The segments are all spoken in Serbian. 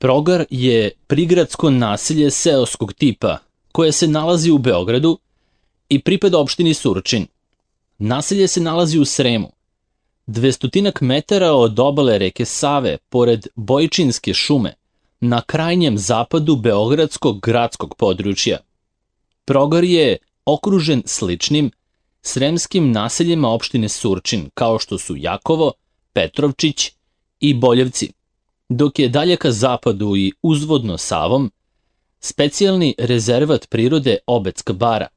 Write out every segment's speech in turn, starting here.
Progar je prigradsko naselje seoskog tipa koje se nalazi u Beogradu i pripada opštini Surčin. Naselje se nalazi u Sremu, 200 metara od obale reke Save, pored Bojčinske šume, na krajnjem zapadu beogradskog gradskog područja. Progar je okružen sličnim sremskim naseljima opštine Surčin, kao što su Jakovo, Petrovčić i Boljevci, dok je dalje ka zapadu i uzvodno Savom specijalni rezervat prirode Obedska bara.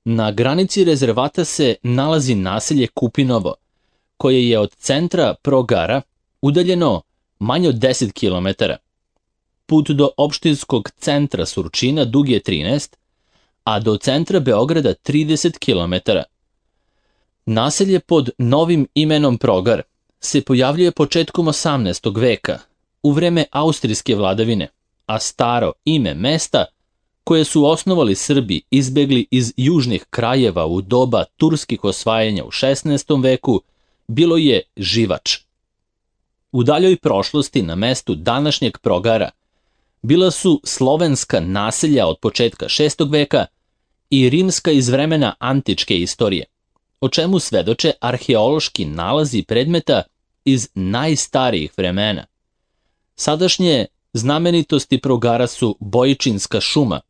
Na granici rezervata se nalazi naselje Kupinovo, koje je od centra Progara udaljeno manje od 10 km. Put do opštinskog centra Surčina dug je 13, a do centra Beograda 30 km. Naselje pod novim imenom Progar se pojavljuje početkom 18. veka, u vreme austrijske vladavine, a staro ime mesta koje su osnovali Srbi izbegli iz južnih krajeva u doba turskih osvajanja u 16. veku bilo je Živač. U daljoj prošlosti na mestu današnjeg Progara bila su slovenska naselja od početka 6. veka i rimska iz vremena antičke istorije, o čemu svedoče arheološki nalazi predmeta iz najstarijih vremena. Sadašnje znamenitosti Progara su Bojčinska šuma,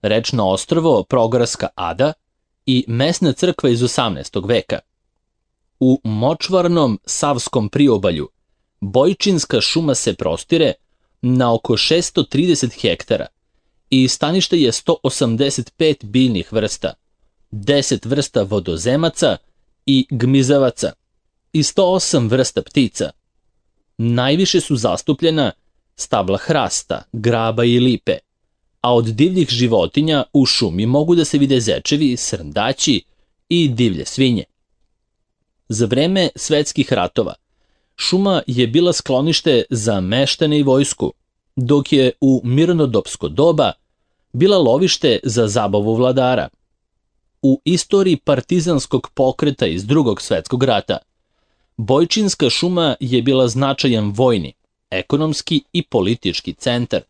rečno ostrvo Progarska ada i mesna crkva iz 18. veka. U močvarnom savskom priobalju Bojčinska šuma se prostire na oko 630 hektara i stanište je 185 biljnih vrsta, 10 vrsta vodozemaca i gmizavaca i 108 vrsta ptica. Najviše su zastupljena stabla hrasta, graba i lipe, a od divljih životinja u šumi mogu da se vide zečevi, srndaći i divlje svinje. Za vreme svetskih ratova šuma je bila sklonište za meštane i vojsku, dok je u mirnodopsko doba bila lovište za zabavu vladara. U istoriji partizanskog pokreta iz Drugog svetskog rata Bojčinska šuma je bila značajan vojni, ekonomski i politički centar,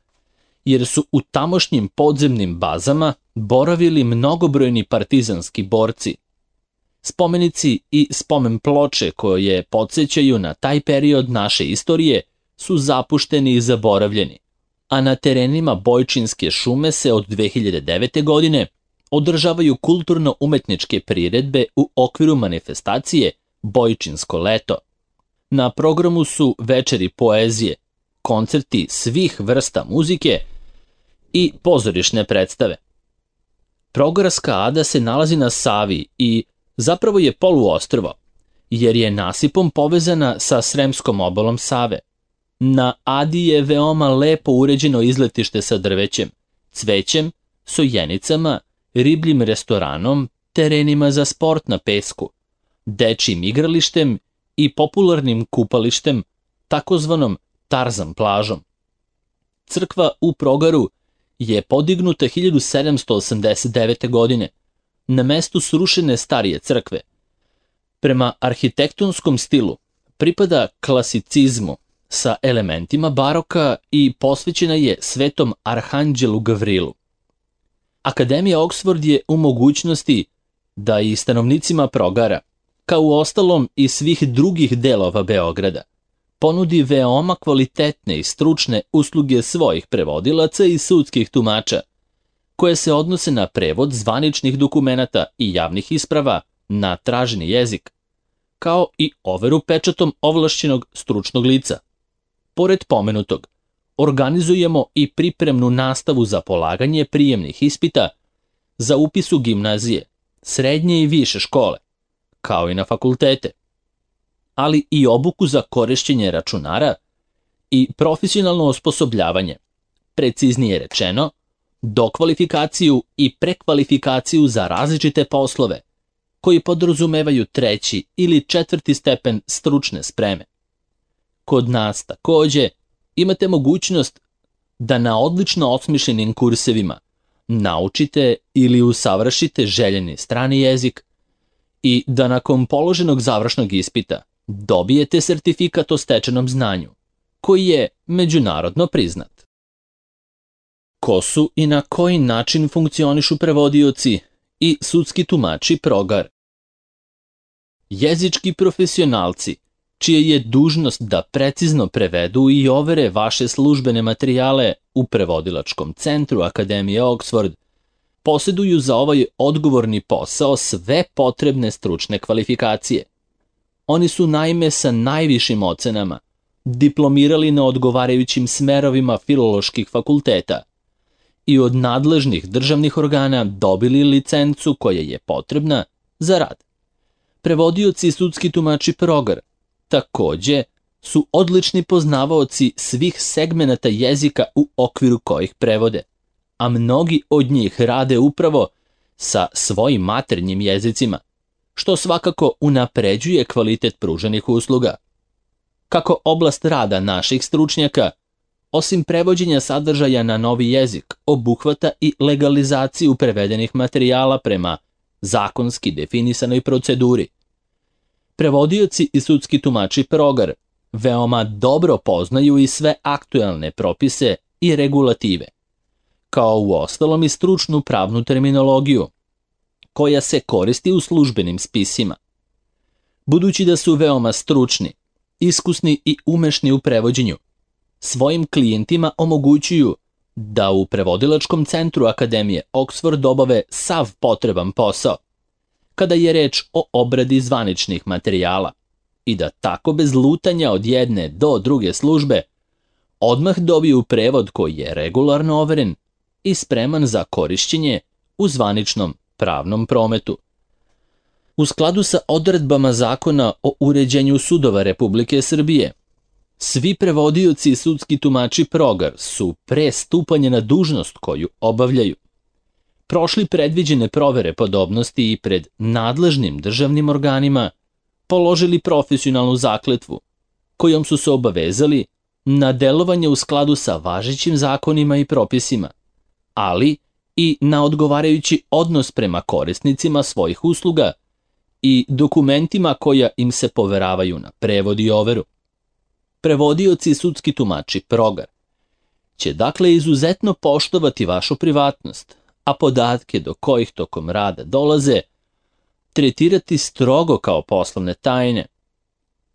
jer su u tamošnjim podzemnim bazama boravili mnogobrojni partizanski borci. Spomenici i spomen ploče koje podsjećaju na taj period naše istorije su zapušteni i zaboravljeni, a na terenima Bojčinske šume se od 2009. godine održavaju kulturno-umetničke priredbe u okviru manifestacije Bojčinsko leto. Na programu su večeri poezije, koncerti svih vrsta muzike i pozorišne predstave. Progarska ada se nalazi na Savi i zapravo je poluostrvo, jer je nasipom povezana sa sremskom obalom Save. Na Adi je veoma lepo uređeno izletište sa drvećem, cvećem, sojenicama, ribljim restoranom, terenima za sport na pesku, dečjim igralištem i popularnim kupalištem, takozvanom Tarzan plažom. Crkva u Progaru je podignuta 1789. godine, na mestu srušene starije crkve. Prema arhitektonskom stilu pripada klasicizmu sa elementima baroka i posvećena je Svetom Arhanđelu Gavrilu. Akademija Oxford je u mogućnosti da i stanovnicima Progara, kao u ostalom i svih drugih delova Beograda, ponudi veoma kvalitetne i stručne usluge svojih prevodilaca i sudskih tumača, koje se odnose na prevod zvaničnih dokumenata i javnih isprava na traženi jezik, kao i overu pečatom ovlašćenog stručnog lica. Pored pomenutog, organizujemo i pripremnu nastavu za polaganje prijemnih ispita za upis u gimnazije, srednje i više škole, kao i na fakultete, ali i obuku za korišćenje računara i profesionalno osposobljavanje, preciznije rečeno, dokvalifikaciju i prekvalifikaciju za različite poslove, koji podrazumevaju 3. ili 4. stepen stručne spreme. Kod nas takođe imate mogućnost da na odlično osmišljenim kursevima naučite ili usavršite željeni strani jezik i da nakon položenog završnog ispita dobijete sertifikat o stečenom znanju, koji je međunarodno priznat. Ko su i na koji način funkcionišu prevodioci i sudski tumači progar? Jezički profesionalci, čija je dužnost da precizno prevedu i overe vaše službene materijale u prevodilačkom centru Akademije Oxford, posjeduju za ovaj odgovorni posao sve potrebne stručne kvalifikacije. Oni su naime sa najvišim ocenama diplomirali na odgovarajućim smerovima filoloških fakulteta i od nadležnih državnih organa dobili licencu koja je potrebna za rad. Prevodioci i sudski tumači progar takođe su odlični poznavaoci svih segmenata jezika u okviru kojih prevode, a mnogi od njih rade upravo sa svojim maternjim jezicima, što svakako unapređuje kvalitet pruženih usluga. Kako oblast rada naših stručnjaka, osim prevođenja sadržaja na novi jezik, obuhvata i legalizaciju prevedenih materijala prema zakonski definisanoj proceduri. Prevodioci i sudski tumači progar veoma dobro poznaju i sve aktuelne propise i regulative, kao uostalom i stručnu pravnu terminologiju, koja se koristi u službenim spisima. Budući da su veoma stručni, iskusni i umešni u prevođenju, svojim klijentima omogućuju da u prevodilačkom centru Akademije Oxford obave sav potreban posao, kada je reč o obradi zvaničnih materijala, i da tako bez lutanja od jedne do druge službe odmah dobiju prevod koji je regularno overen i spreman za korišćenje u zvaničnom pravnom prometu. U skladu sa odredbama Zakona o uređenju sudova Republike Srbije, svi prevodioci i sudski tumači progar su pre stupanja na dužnost koju obavljaju prošli predviđene provere podobnosti i pred nadležnim državnim organima položili profesionalnu zakletvu, kojom su se obavezali na delovanje u skladu sa važećim zakonima i propisima, ali i na odgovarajući odnos prema korisnicima svojih usluga i dokumentima koja im se poveravaju na prevod i overu. Prevodioci i sudski tumači progar će dakle izuzetno poštovati vašu privatnost, a podatke do kojih tokom rada dolaze tretirati strogo kao poslovne tajne.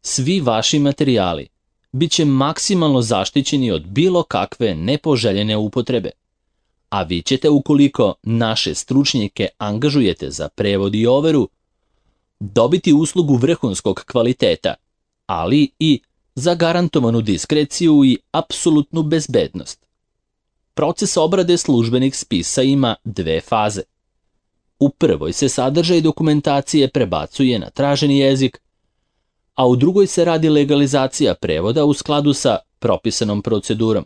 Svi vaši materijali bit će maksimalno zaštićeni od bilo kakve nepoželjene upotrebe, a vi ćete, ukoliko naše stručnjake angažujete za prevod i overu, dobiti uslugu vrhunskog kvaliteta, ali i zagarantovanu diskreciju i apsolutnu bezbednost. Proces obrade službenih spisa ima dve faze. U prvoj se sadržaj dokumentacije prebacuje na traženi jezik, a u drugoj se radi legalizacija prevoda u skladu sa propisanom procedurom.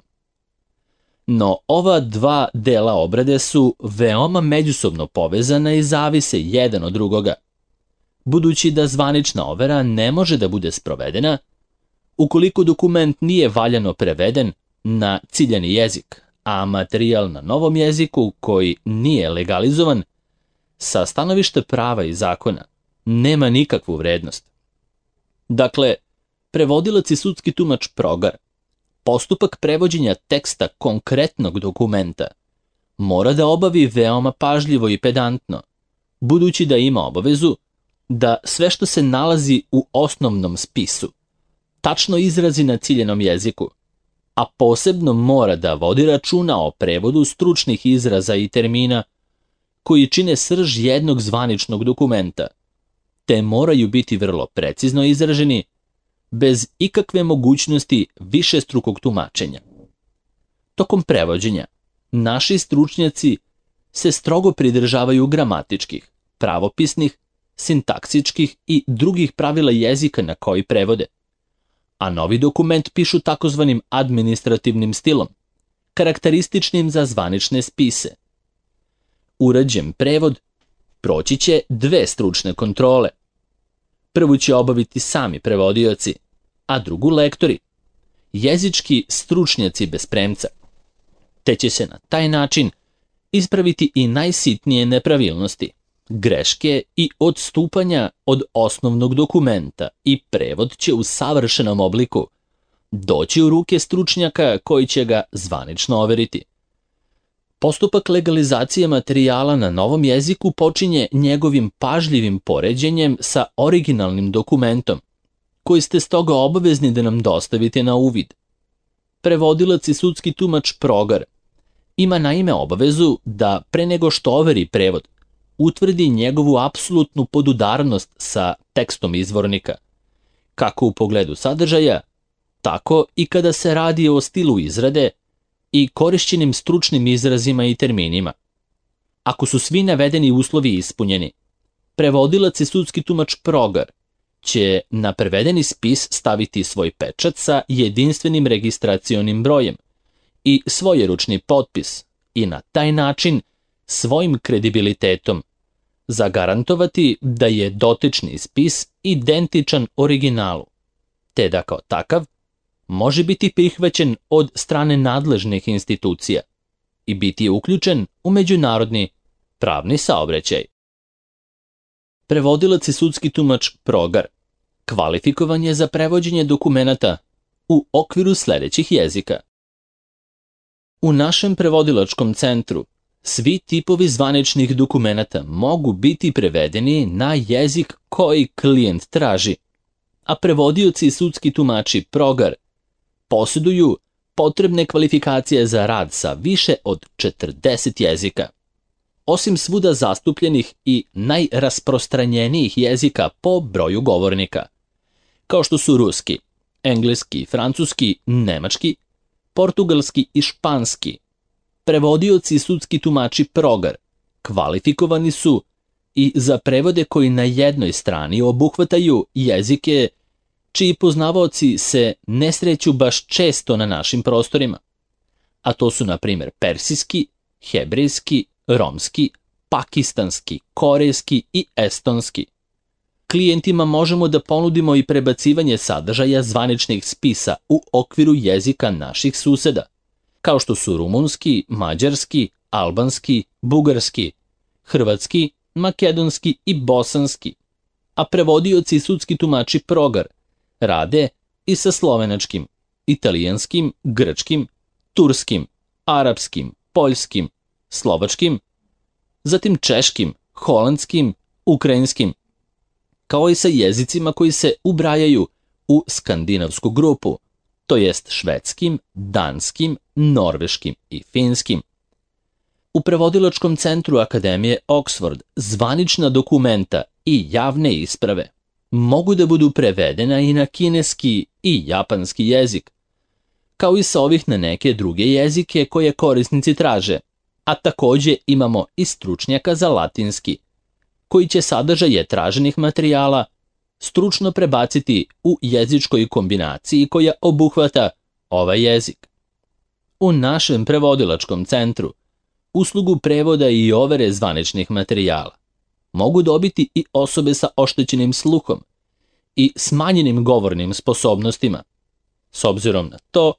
No, ova dva dela obrade su veoma međusobno povezana i zavise jedan od drugoga, budući da zvanična overa ne može da bude sprovedena ukoliko dokument nije valjano preveden na ciljani jezik, a materijal na novom jeziku koji nije legalizovan, sa stanovišta prava i zakona, nema nikakvu vrednost. Dakle, prevodilac i sudski tumač progar postupak prevođenja teksta konkretnog dokumenta mora da obavi veoma pažljivo i pedantno, budući da ima obavezu da sve što se nalazi u osnovnom spisu tačno izrazi na ciljenom jeziku, a posebno mora da vodi računa o prevodu stručnih izraza i termina koji čine srž jednog zvaničnog dokumenta, te moraju biti vrlo precizno izraženi, bez ikakve mogućnosti višestrukog tumačenja. Tokom prevođenja, naši stručnjaci se strogo pridržavaju gramatičkih, pravopisnih, sintaksičkih i drugih pravila jezika na koji prevode, a novi dokument pišu takozvanim administrativnim stilom, karakterističnim za zvanične spise. Urađen prevod proći će dve stručne kontrole. Prvu će obaviti sami prevodioci, a drugu lektori, jezički stručnjaci bez premca, te će se na taj način ispraviti i najsitnije nepravilnosti, greške i odstupanja od osnovnog dokumenta i prevod će u savršenom obliku doći u ruke stručnjaka koji će ga zvanično overiti. Postupak legalizacije materijala na novom jeziku počinje njegovim pažljivim poređenjem sa originalnim dokumentom, koji ste stoga obavezni da nam dostavite na uvid. Prevodilac i sudski tumač Progar ima naime obavezu da pre nego što overi prevod, utvrdi njegovu apsolutnu podudarnost sa tekstom izvornika, kako u pogledu sadržaja, tako i kada se radi o stilu izrade i korišćenim stručnim izrazima i terminima. Ako su svi navedeni uslovi ispunjeni, prevodilac i sudski tumač Progar će na prevedeni spis staviti svoj pečat sa jedinstvenim registracionim brojem i svojeručni potpis i na taj način svojim kredibilitetom zagarantovati da je dotični spis identičan originalu, te da kao takav može biti prihvaćen od strane nadležnih institucija i biti uključen u međunarodni pravni saobraćaj. Prevodilac i sudski tumač Progar kvalifikovan je za prevođenje dokumenata u okviru sledećih jezika. U našem prevodilačkom centru svi tipovi zvaničnih dokumenata mogu biti prevedeni na jezik koji klijent traži, a prevodioci i sudski tumači Progar posjeduju potrebne kvalifikacije za rad sa više od 40 jezika. Osim svuda zastupljenih i najrasprostranjenijih jezika po broju govornika, kao što su ruski, engleski, francuski, nemački, portugalski i španski, prevodioci i sudski tumači Progar kvalifikovani su i za prevode koji na jednoj strani obuhvataju jezike čiji poznavaoci se ne sreću baš često na našim prostorima, a to su na primjer persijski, hebrejski, romski, pakistanski, korejski i estonski. Klijentima možemo da ponudimo i prebacivanje sadržaja zvaničnih spisa u okviru jezika naših suseda, kao što su rumunski, mađarski, albanski, bugarski, hrvatski, makedonski i bosanski, a prevodioci i sudski tumači Progar rade i sa slovenačkim, italijanskim, grčkim, turskim, arapskim, poljskim, slovačkim, zatim češkim, holandskim, ukrajinskim, kao i sa jezicima koji se ubrajaju u skandinavsku grupu, to jest švedskim, danskim, norveškim i finskim. U prevodilačkom centru Akademije Oxford zvanična dokumenta i javne isprave mogu da budu prevedena i na kineski i japanski jezik, kao i sa ovih na neke druge jezike koje korisnici traže, a takođe imamo i stručnjaka za latinski, koji će sadržaje traženih materijala stručno prebaciti u jezičkoj kombinaciji koja obuhvata ovaj jezik. U našem prevodilačkom centru uslugu prevoda i overe zvaničnih materijala mogu dobiti i osobe sa oštećenim sluhom i smanjenim govornim sposobnostima, s obzirom na to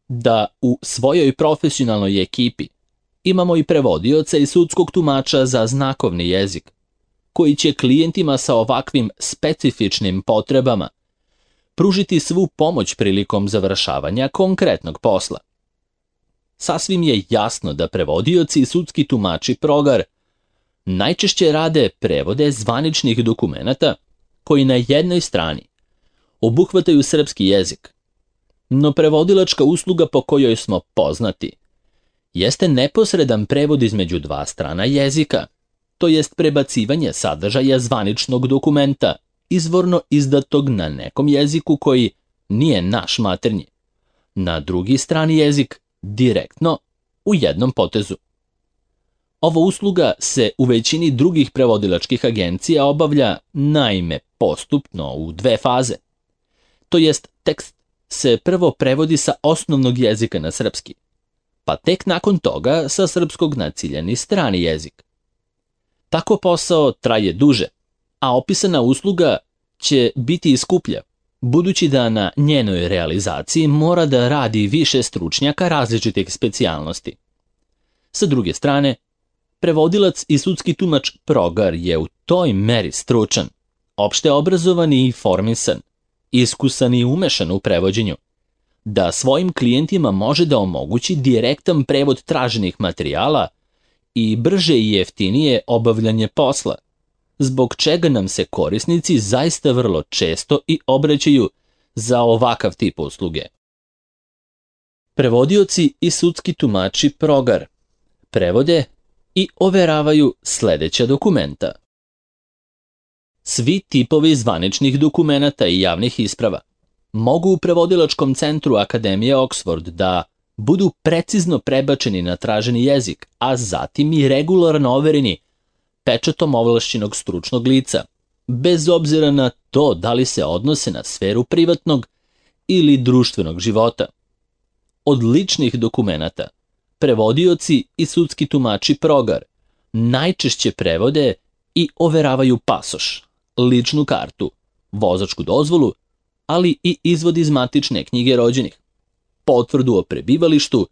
da u svojoj profesionalnoj ekipi imamo i prevodioca i sudskog tumača za znakovni jezik, koji će klijentima sa ovakvim specifičnim potrebama pružiti svu pomoć prilikom završavanja konkretnog posla. Sasvim je jasno da prevodioci i sudski tumači Progar najčešće rade prevode zvaničnih dokumenata koji na jednoj strani obuhvataju srpski jezik, no prevodilačka usluga po kojoj smo poznati jeste neposredan prevod između dva strana jezika, to jest prebacivanje sadržaja zvaničnog dokumenta izvorno izdatog na nekom jeziku koji nije naš maternji, na drugi strani jezik direktno u jednom potezu. Ova usluga se u većini drugih prevodilačkih agencija obavlja naime postupno u dve faze. To jest tekst se prvo prevodi sa osnovnog jezika na srpski, pa tek nakon toga sa srpskog na ciljani strani jezik. Tako posao traje duže, a opisana usluga će biti i skuplja, budući da na njenoj realizaciji mora da radi više stručnjaka različitih specijalnosti. Sa druge strane, prevodilac i sudski tumač Progar je u toj meri stručan, opšte obrazovan i informisan, iskusan i umešan u prevođenju, da svojim klijentima može da omogući direktan prevod traženih materijala i brže i jeftinije obavljanje posla, zbog čega nam se korisnici zaista vrlo često i obraćaju za ovakav tip usluge. Prevodioci i sudski tumači Progar prevode i overavaju sledeća dokumenta. Svi tipovi zvaničnih dokumenata i javnih isprava mogu u prevodilačkom centru Akademije Oxford da budu precizno prebačeni na traženi jezik, a zatim i regularno overeni pečatom ovlašćenog stručnog lica, bez obzira na to da li se odnose na sferu privatnog ili društvenog života. Od ličnih dokumenata prevodioci i sudski tumači Progar najčešće prevode i overavaju pasoš, ličnu kartu, vozačku dozvolu, ali i izvod iz matične knjige rođenih, potvrdu o prebivalištu,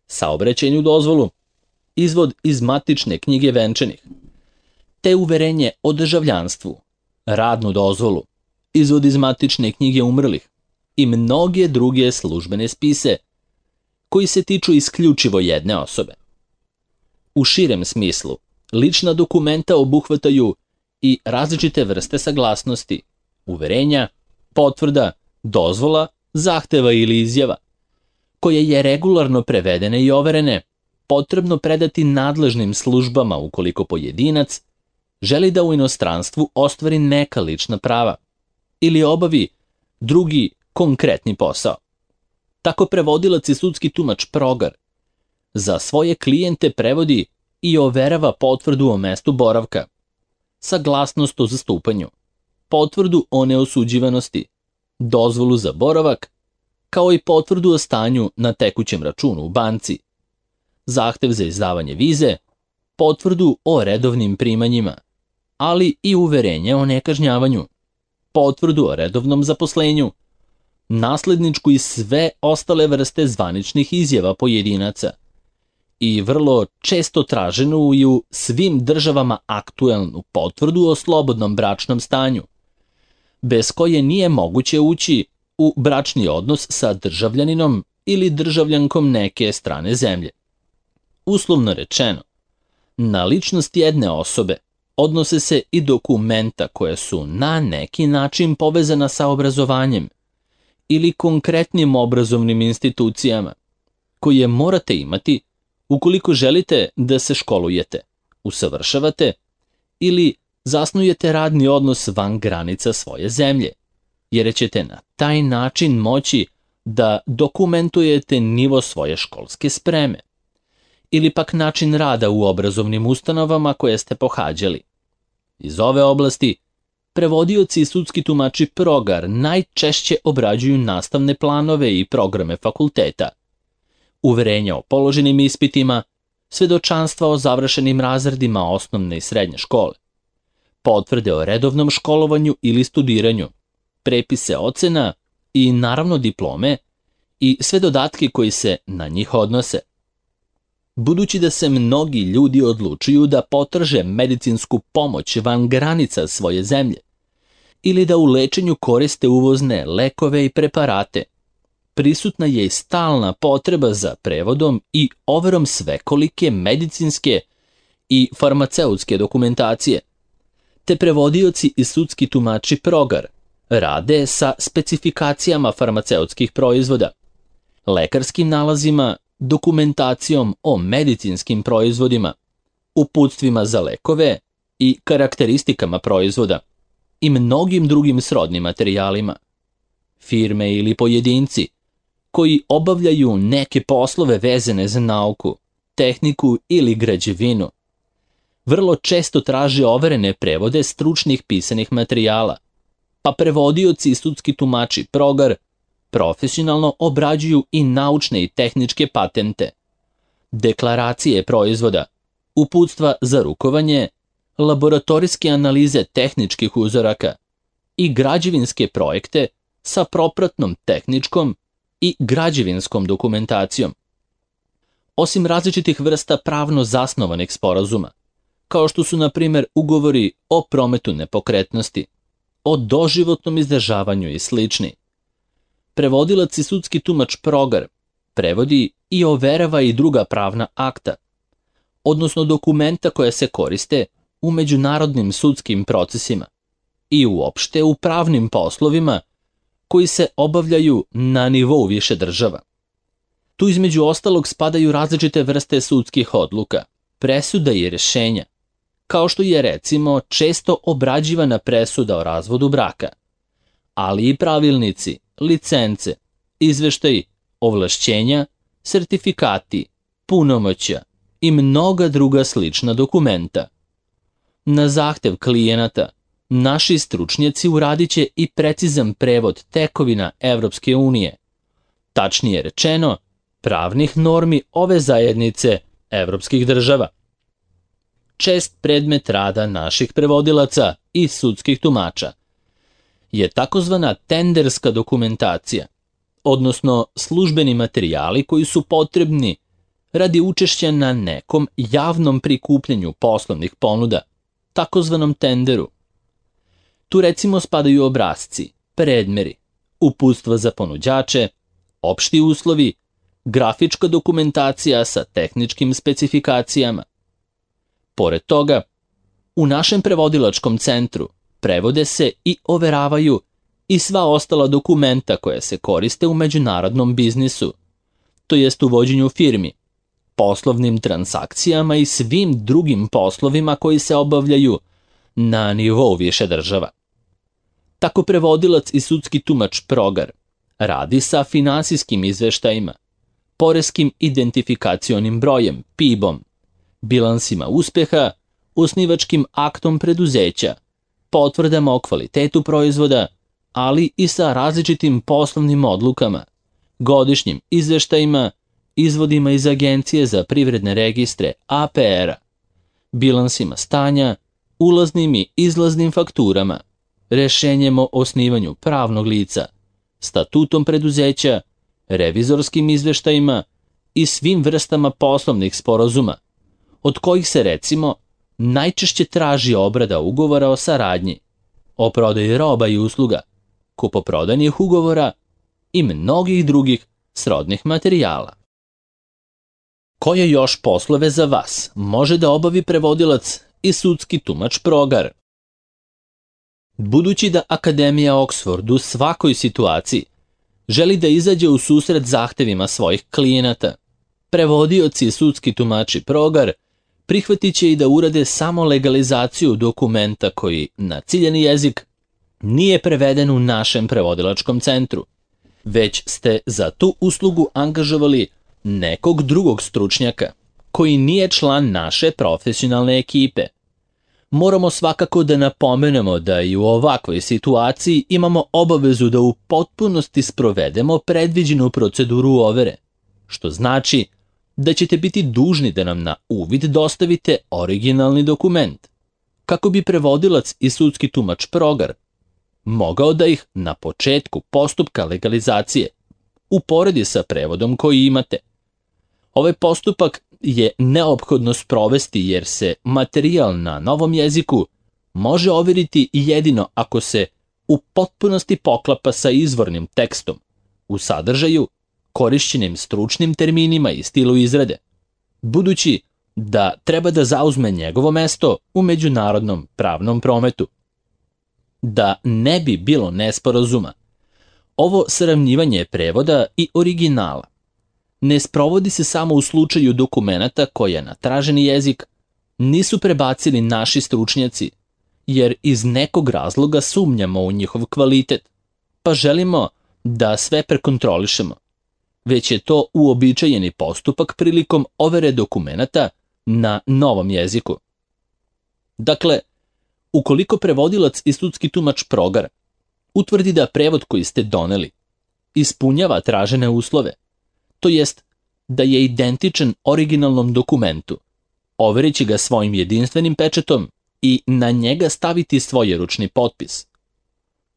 saobraćajnu dozvolu, izvod iz matične knjige venčanih, te uverenje o državljanstvu, radnu dozvolu, izvod iz matične knjige umrlih i mnoge druge službene spise koji se tiču isključivo jedne osobe. U širem smislu, lična dokumenta obuhvataju i različite vrste saglasnosti, uverenja, potvrda, dozvola, zahteva ili izjava, koje je regularno prevedene i overene, potrebno predati nadležnim službama ukoliko pojedinac želi da u inostranstvu ostvari neka lična prava ili obavi drugi konkretni posao. Tako prevodilac i sudski tumač Progar za svoje klijente prevodi i overava potvrdu o mestu boravka, saglasnost o zastupanju, potvrdu o neosuđivanosti, dozvolu za boravak, kao i potvrdu o stanju na tekućem računu u banci, zahtev za izdavanje vize, potvrdu o redovnim primanjima, ali i uverenje o nekažnjavanju, potvrdu o redovnom zaposlenju, nasledničku i sve ostale vrste zvaničnih izjava pojedinaca i vrlo često traženu i u svim državama aktuelnu potvrdu o slobodnom bračnom stanju, bez koje nije moguće ući u bračni odnos sa državljaninom ili državljankom neke strane zemlje. Uslovno rečeno, na ličnost jedne osobe odnose se i dokumenta koje su na neki način povezana sa obrazovanjem ili konkretnim obrazovnim institucijama, koje morate imati ukoliko želite da se školujete, usavršavate ili zasnujete radni odnos van granica svoje zemlje, jer ćete na taj način moći da dokumentujete nivo svoje školske spreme ili pak način rada u obrazovnim ustanovama koje ste pohađali. Iz ove oblasti prevodioci i sudski tumači Progar najčešće obrađuju nastavne planove i programe fakulteta, uverenja o položenim ispitima, svedočanstva o završenim razredima osnovne i srednje škole, potvrde o redovnom školovanju ili studiranju, prepise ocena i naravno diplome i sve dodatke koji se na njih odnose. Budući da se mnogi ljudi odlučuju da potraže medicinsku pomoć van granica svoje zemlje ili da u lečenju koriste uvozne lekove i preparate, prisutna je i stalna potreba za prevodom i overom svekolike medicinske i farmaceutske dokumentacije, te prevodioci i sudski tumači Progar rade sa specifikacijama farmaceutskih proizvoda, lekarskim nalazima, dokumentacijom o medicinskim proizvodima, uputstvima za lekove i karakteristikama proizvoda i mnogim drugim srodnim materijalima. Firme ili pojedinci koji obavljaju neke poslove vezane za nauku, tehniku ili građevinu vrlo često traže overene prevode stručnih pisanih materijala, pa prevodioci i sudski tumači Progar profesionalno obrađuju i naučne i tehničke patente, deklaracije proizvoda, uputstva za rukovanje, laboratorijske analize tehničkih uzoraka i građevinske projekte sa propratnom tehničkom i građevinskom dokumentacijom. Osim različitih vrsta pravno zasnovanih sporazuma, kao što su na primjer ugovori o prometu nepokretnosti, o doživotnom izdržavanju i slični, prevodilac i sudski tumač Progar prevodi i overava i druga pravna akta, odnosno dokumenta koja se koriste u međunarodnim sudskim procesima i uopšte u pravnim poslovima koji se obavljaju na nivou više država. Tu između ostalog spadaju različite vrste sudskih odluka, presuda i rješenja, kao što je recimo često obrađivana presuda o razvodu braka, ali i pravilnici, licence, izveštaji, ovlašćenja, sertifikati, punomoćja i mnoga druga slična dokumenta. Na zahtev klijenata, naši stručnjaci uradit će i precizan prevod tekovina Evropske unije, tačnije rečeno, pravnih normi ove zajednice evropskih država. Čest predmet rada naših prevodilaca i sudskih tumača je takozvana tenderska dokumentacija, odnosno službeni materijali koji su potrebni radi učešća na nekom javnom prikupljanju poslovnih ponuda, takozvanom tenderu. Tu recimo spadaju obrasci, predmeri, uputstva za ponuđače, opšti uslovi, grafička dokumentacija sa tehničkim specifikacijama. Pored toga, u našem prevodilačkom centru prevode se i overavaju i sva ostala dokumenta koja se koriste u međunarodnom biznisu, to jest u vođenju firmi, poslovnim transakcijama i svim drugim poslovima koji se obavljaju na nivou više država. Tako prevodilac i sudski tumač Progar radi sa finansijskim izveštajima, poreskim identifikacionim brojem, PIB-om, bilansima uspeha, osnivačkim aktom preduzeća, potvrdama o kvalitetu proizvoda, ali i sa različitim poslovnim odlukama, godišnjim izveštajima, izvodima iz Agencije za privredne registre APR-a, bilansima stanja, ulaznim i izlaznim fakturama, rešenjem o osnivanju pravnog lica, statutom preduzeća, revizorskim izveštajima i svim vrstama poslovnih sporazuma, od kojih se recimo najčešće traži obrada ugovora o saradnji, o prodaji roba i usluga, kupoprodajnih ugovora i mnogih drugih srodnih materijala. Koje još poslove za vas može da obavi prevodilac i sudski tumač Progar? Budući da Akademija Oxford u svakoj situaciji želi da izađe u susret zahtevima svojih klijenata, prevodioci i sudski tumači Progar prihvatit će i da urade samo legalizaciju dokumenta koji na ciljani jezik nije preveden u našem prevodilačkom centru, već ste za tu uslugu angažovali nekog drugog stručnjaka koji nije član naše profesionalne ekipe. Moramo svakako da napomenemo da i u ovakvoj situaciji imamo obavezu da u potpunosti sprovedemo predviđenu proceduru overe, što znači da ćete biti dužni da nam na uvid dostavite originalni dokument, kako bi prevodilac i sudski tumač Progar mogao da ih na početku postupka legalizacije uporedi sa prevodom koji imate. Ovaj postupak je neophodno sprovesti jer se materijal na novom jeziku može overiti jedino ako se u potpunosti poklapa sa izvornim tekstom, u sadržaju, korišćenim stručnim terminima i stilu izrade, budući da treba da zauzme njegovo mesto u međunarodnom pravnom prometu. Da ne bi bilo nesporazuma, ovo sravnjivanje prevoda i originala ne sprovodi se samo u slučaju dokumenata koje na traženi jezik nisu prebacili naši stručnjaci, jer iz nekog razloga sumnjamo u njihov kvalitet, pa želimo da sve prekontrolišemo, već je to uobičajeni postupak prilikom overe dokumenata na novom jeziku. Dakle, ukoliko prevodilac i sudski tumač Progar utvrdi da prevod koji ste doneli ispunjava tražene uslove, to jest da je identičan originalnom dokumentu, overići ga svojim jedinstvenim pečatom i na njega staviti svoj ručni potpis.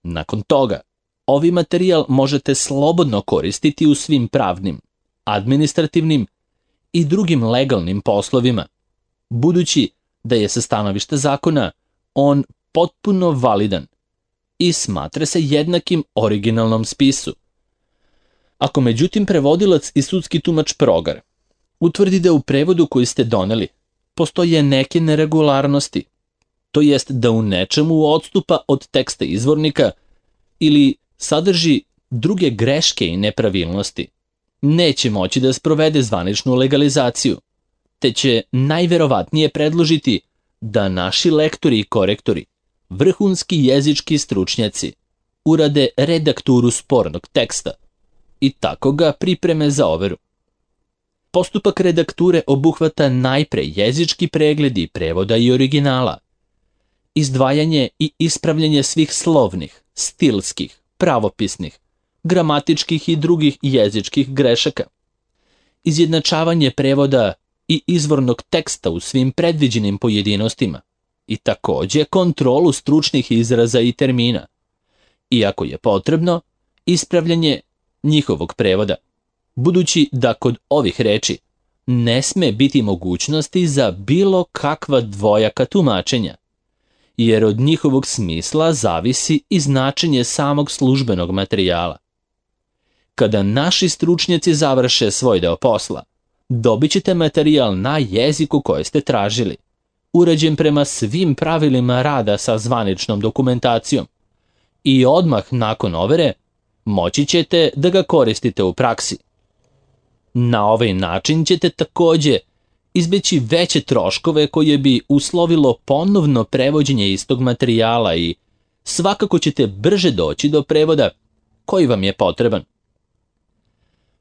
Nakon toga, ovi materijal možete slobodno koristiti u svim pravnim, administrativnim i drugim legalnim poslovima, budući da je sa stanovišta zakona on potpuno validan i smatra se jednakim originalnom spisu, Ako međutim prevodilac i sudski tumač Progar utvrdi da u prevodu koji ste doneli postoje neke neregularnosti, to jest da u nečemu odstupa od teksta izvornika ili sadrži druge greške i nepravilnosti, neće moći da sprovede zvaničnu legalizaciju, te će najverovatnije predložiti da naši lektori i korektori, vrhunski jezički stručnjaci, urade redakturu spornog teksta i tako ga pripreme za overu. Postupak redakture obuhvata najpre jezički pregled prevoda i originala, izdvajanje i ispravljanje svih slovnih, stilskih, pravopisnih, gramatičkih i drugih jezičkih grešaka, izjednačavanje prevoda i izvornog teksta u svim predviđenim pojedinostima i takođe kontrolu stručnih izraza i termina, i ako je potrebno, ispravljanje njihovog prevoda, budući da kod ovih reči ne sme biti mogućnosti za bilo kakva dvojaka tumačenja, jer od njihovog smisla zavisi i značenje samog službenog materijala. Kada naši stručnjaci završe svoj deo posla, dobit ćete materijal na jeziku koji ste tražili, urađen prema svim pravilima rada sa zvaničnom dokumentacijom, i odmah nakon overe moći ćete da ga koristite u praksi. Na ovaj način ćete takođe izbeći veće troškove koje bi uslovilo ponovno prevođenje istog materijala i svakako ćete brže doći do prevoda koji vam je potreban.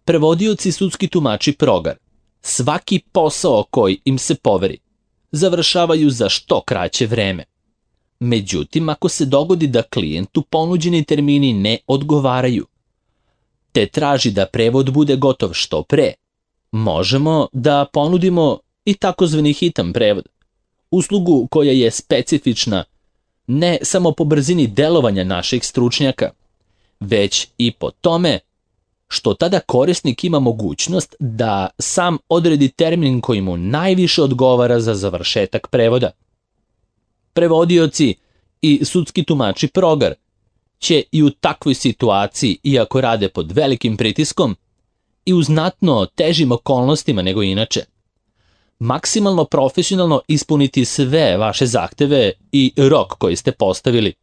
Prevodioci i sudski tumači Progar svaki posao koji im se poveri završavaju za što kraće vreme. Međutim, ako se dogodi da klijentu ponuđeni termini ne odgovaraju, te traži da prevod bude gotov što pre, možemo da ponudimo i takozvani hitan prevod, uslugu koja je specifična ne samo po brzini delovanja naših stručnjaka, već i po tome što tada korisnik ima mogućnost da sam odredi termin koji mu najviše odgovara za završetak prevoda. Prevodioci i sudski tumači Progar će i u takvoj situaciji, iako rade pod velikim pritiskom i u znatno težim okolnostima nego inače, maksimalno profesionalno ispuniti sve vaše zahteve i rok koji ste postavili.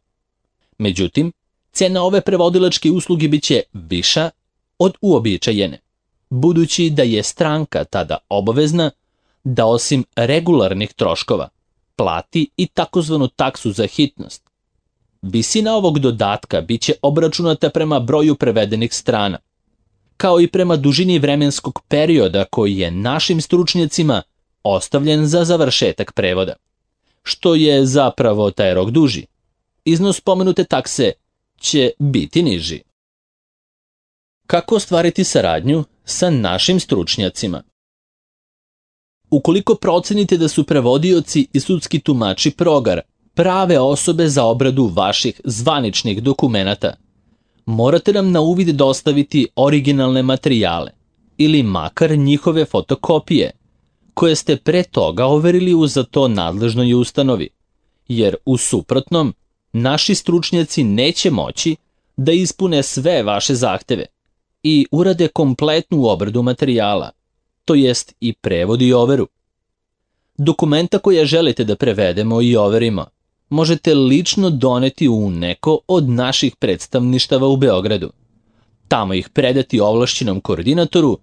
Međutim, cena ove prevodilačke usluge biće viša od uobičajene, budući da je stranka tada obavezna da osim regularnih troškova plati i takozvanu taksu za hitnost. Visina ovog dodatka biće obračunata prema broju prevedenih strana, kao i prema dužini vremenskog perioda koji je našim stručnjacima ostavljen za završetak prevoda. Što je zapravo taj rok duži, iznos pomenute takse će biti niži. Kako ostvariti saradnju sa našim stručnjacima? Ukoliko procenite da su prevodioci i sudski tumači Progar prave osobe za obradu vaših zvaničnih dokumenata, morate nam na uvid dostaviti originalne materijale ili makar njihove fotokopije, koje ste pre toga overili u za to nadležnoj ustanovi, jer u suprotnom naši stručnjaci neće moći da ispune sve vaše zahteve i urade kompletnu obradu materijala, to jest i prevod i overu. Dokumenta koje želite da prevedemo i overimo možete lično doneti u neko od naših predstavništava u Beogradu, tamo ih predati ovlašćenom koordinatoru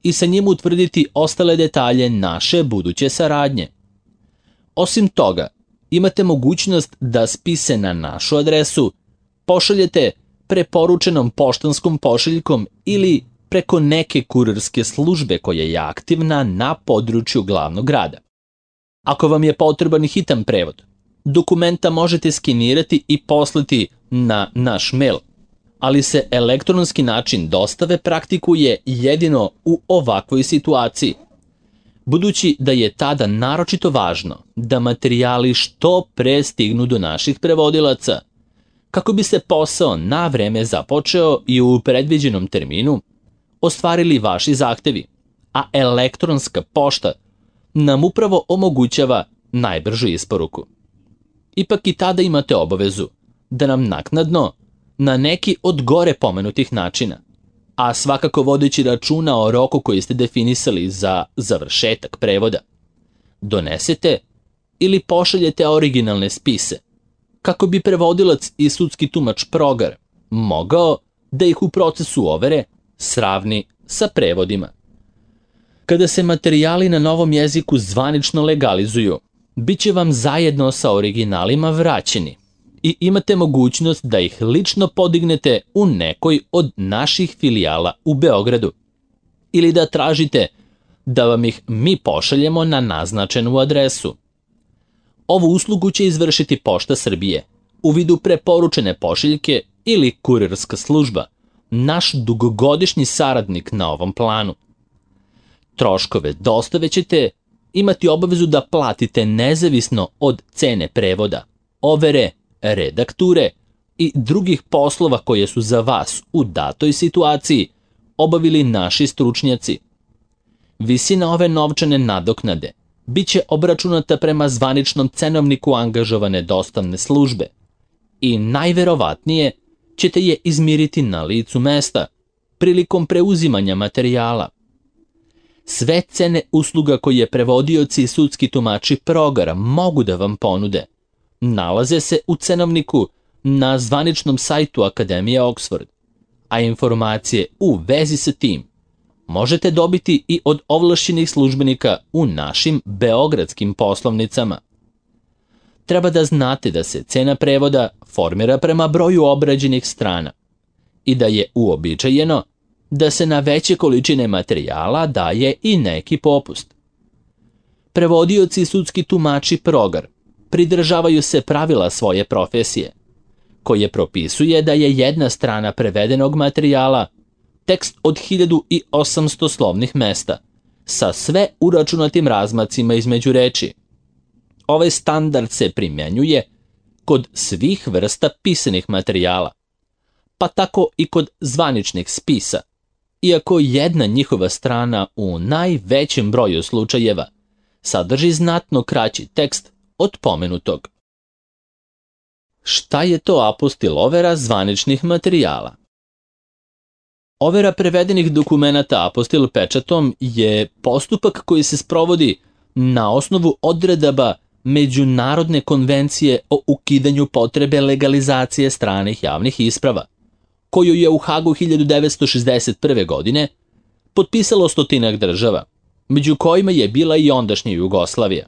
i sa njim utvrditi ostale detalje naše buduće saradnje. Osim toga, imate mogućnost da spise na našu adresu pošaljete preporučenom poštanskom pošiljkom ili preko neke kurirske službe koja je aktivna na području glavnog grada. Ako vam je potreban hitan prevod, dokumenta možete skenirati i poslati na naš mail, ali se elektronski način dostave praktikuje jedino u ovakvoj situaciji, budući da je tada naročito važno da materijali što pre stignu do naših prevodilaca, kako bi se posao na vreme započeo i u predviđenom terminu ostvarili vaši zahtevi, a elektronska pošta nam upravo omogućava najbržu isporuku. Ipak i tada imate obavezu da nam naknadno, na neki od gore pomenutih načina, a svakako vodeći računa o roku koji ste definisali za završetak prevoda. Donesete ili pošaljete originalne spise, kako bi prevodilac i sudski tumač Progar mogao da ih u procesu overe sravni sa prevodima. Kada se materijali na novom jeziku zvanično legalizuju, bit će vam zajedno sa originalima vraćeni i imate mogućnost da ih lično podignete u nekoj od naših filijala u Beogradu ili da tražite da vam ih mi pošaljemo na naznačenu adresu. Ovu uslugu će izvršiti Pošta Srbije u vidu preporučene pošiljke ili kurirska služba, naš dugogodišnji saradnik na ovom planu. Troškove dostave ćete imati obavezu da platite nezavisno od cene prevoda, overe, redakture i drugih poslova koje su za vas u datoj situaciji obavili naši stručnjaci. Visina ove novčane nadoknade bit će obračunata prema zvaničnom cenovniku angažovane dostavne službe i najverovatnije ćete je izmiriti na licu mesta prilikom preuzimanja materijala. Sve cene usluga koje prevodioci i sudski tumači Progara mogu da vam ponude nalaze se u cenovniku na zvaničnom sajtu Akademije Oxford, a informacije u vezi sa tim možete dobiti i od ovlašćenih službenika u našim beogradskim poslovnicama. Treba da znate da se cena prevoda formira prema broju obrađenih strana i da je uobičajeno da se na veće količine materijala daje i neki popust. Prevodioci i sudski tumači Progar pridržavaju se pravila svoje profesije, koje propisuje da je jedna strana prevedenog materijala tekst od 1800 slovnih mesta, sa sve uračunatim razmacima između reči. Ovaj standard se primjenjuje kod svih vrsta pisanih materijala, pa tako i kod zvaničnih spisa, iako jedna njihova strana u najvećem broju slučajeva sadrži znatno kraći tekst od pomenutog. Šta je to apostil overa zvaničnih materijala? Overa prevedenih dokumenata apostil pečatom je postupak koji se sprovodi na osnovu odredaba Međunarodne konvencije o ukidanju potrebe legalizacije stranih javnih isprava, koju je u Hagu 1961. godine potpisalo 100 država, među kojima je bila i ondašnja Jugoslavija,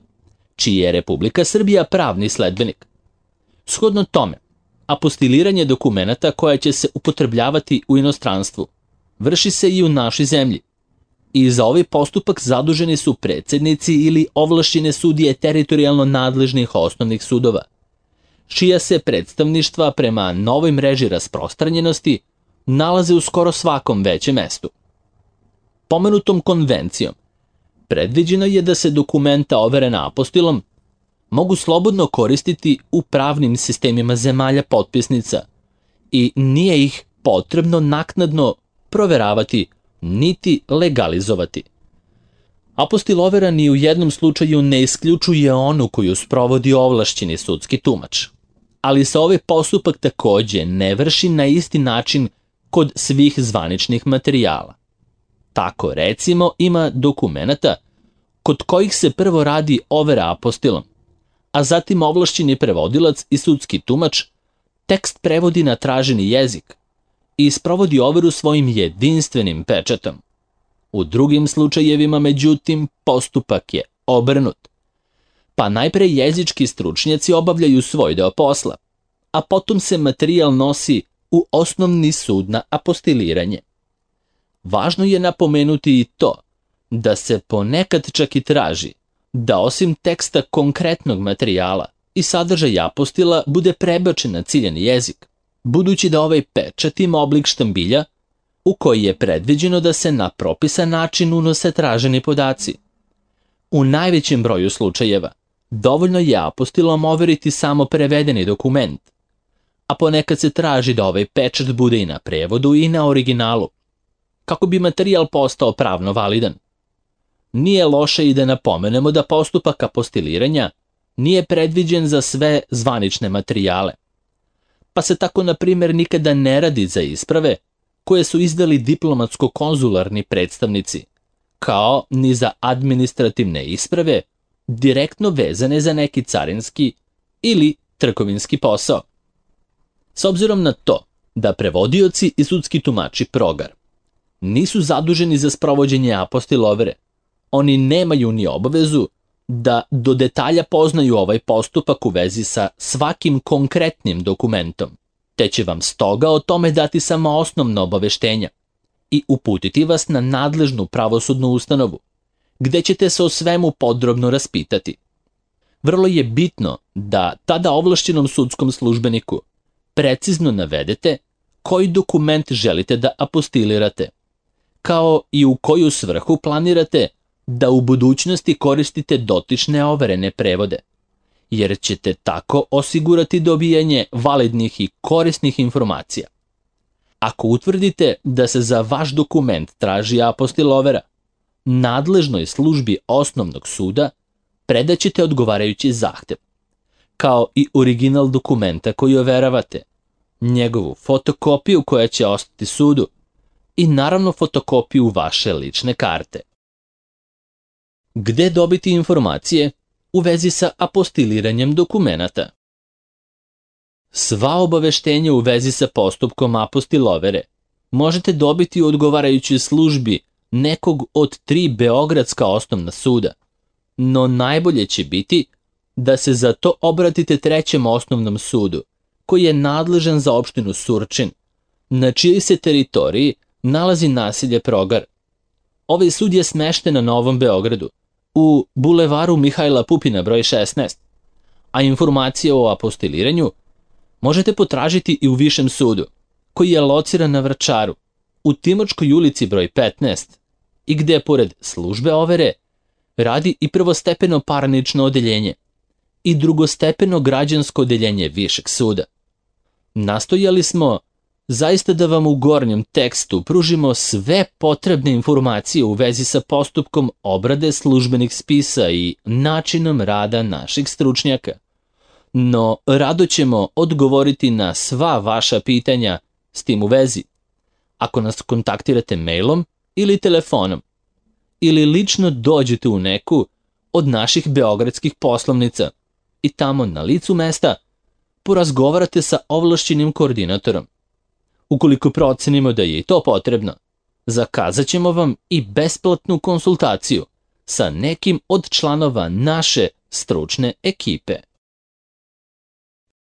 čiji je Republika Srbija pravni sledbenik. Shodno tome, apostiliranje dokumenata koja će se upotrebljavati u inostranstvu vrši se i u našoj zemlji i za ovaj postupak zaduženi su predsednici ili ovlašćene sudije teritorijalno nadležnih osnovnih sudova, čija se predstavništva prema novoj mreži rasprostranjenosti nalaze u skoro svakom većem mestu. Pomenutom konvencijom predviđeno je da se dokumenta overena apostilom mogu slobodno koristiti u pravnim sistemima zemalja potpisnica i nije ih potrebno naknadno proveravati niti legalizovati. Apostil overa ni u jednom slučaju ne isključuje onu koju sprovodi ovlašćeni sudski tumač, ali se ovaj postupak takođe ne vrši na isti način kod svih zvaničnih materijala. Tako recimo ima dokumenata kod kojih se prvo radi overa apostilom, a zatim ovlašćeni prevodilac i sudski tumač tekst prevodi na traženi jezik i sprovodi overu svojim jedinstvenim pečatom. U drugim slučajevima, međutim, postupak je obrnut. Pa najpre jezički stručnjaci obavljaju svoj deo posla, a potom se materijal nosi u osnovni sud na apostiliranje. Važno je napomenuti i to da se ponekad čak i traži da osim teksta konkretnog materijala i sadržaj apostila bude prebačen na ciljani jezik, budući da ovaj pečat ima oblik štambilja u koji je predviđeno da se na propisan način unose traženi podaci. U najvećem broju slučajeva dovoljno je apostilom overiti samo prevedeni dokument, a ponekad se traži da ovaj pečat bude i na prevodu i na originalu, kako bi materijal postao pravno validan. Nije loše i da napomenemo da postupak apostiliranja nije predviđen za sve zvanične materijale, pa se tako na primjer nikada ne radi za isprave koje su izdali diplomatsko-konzularni predstavnici, kao ni za administrativne isprave direktno vezane za neki carinski ili trgovinski posao. S obzirom na to da prevodioci i sudski tumači progar nisu zaduženi za sprovođenje apostilovere, oni nemaju ni obavezu da do detalja poznaju ovaj postupak u vezi sa svakim konkretnim dokumentom, te će vam stoga o tome dati samo osnovna obaveštenja i uputiti vas na nadležnu pravosudnu ustanovu, gde ćete se o svemu podrobno raspitati. Vrlo je bitno da tada ovlašćenom sudskom službeniku precizno navedete koji dokument želite da apostilirate, kao i u koju svrhu planirate da u budućnosti koristite dotične overene prevode, jer ćete tako osigurati dobijanje validnih i korisnih informacija. Ako utvrdite da se za vaš dokument traži apostilovera, nadležnoj službi osnovnog suda predaćete odgovarajući zahtev, kao i original dokumenta koji overavate, njegovu fotokopiju koja će ostati sudu i naravno fotokopiju vaše lične karte. Gde dobiti informacije u vezi sa apostiliranjem dokumenata? Sva obaveštenja u vezi sa postupkom apostilovere možete dobiti u odgovarajućoj službi nekog od 3 beogradska osnovna suda, no najbolje će biti da se za to obratite 3. osnovnom sudu, koji je nadležan za opštinu Surčin, na čijoj se teritoriji nalazi naselje Progar. Ovaj sud je smešten na Novom Beogradu, u bulevaru Mihajla Pupina broj 16, a informacije o apostiliranju možete potražiti i u Višem sudu, koji je lociran na Vračaru, u Timočkoj ulici broj 15, i gde, pored službe overe, radi i prvostepeno parnično odeljenje i drugostepeno građansko odeljenje Višeg suda. Nastojali smo zaista da vam u gornjem tekstu pružimo sve potrebne informacije u vezi sa postupkom obrade službenih spisa i načinom rada naših stručnjaka. No, rado ćemo odgovoriti na sva vaša pitanja s tim u vezi, ako nas kontaktirate mailom ili telefonom, ili lično dođete u neku od naših beogradskih poslovnica i tamo na licu mesta porazgovarate sa ovlašćenim koordinatorom. Ukoliko procenimo da je i to potrebno, zakazat ćemo vam i besplatnu konsultaciju sa nekim od članova naše stručne ekipe.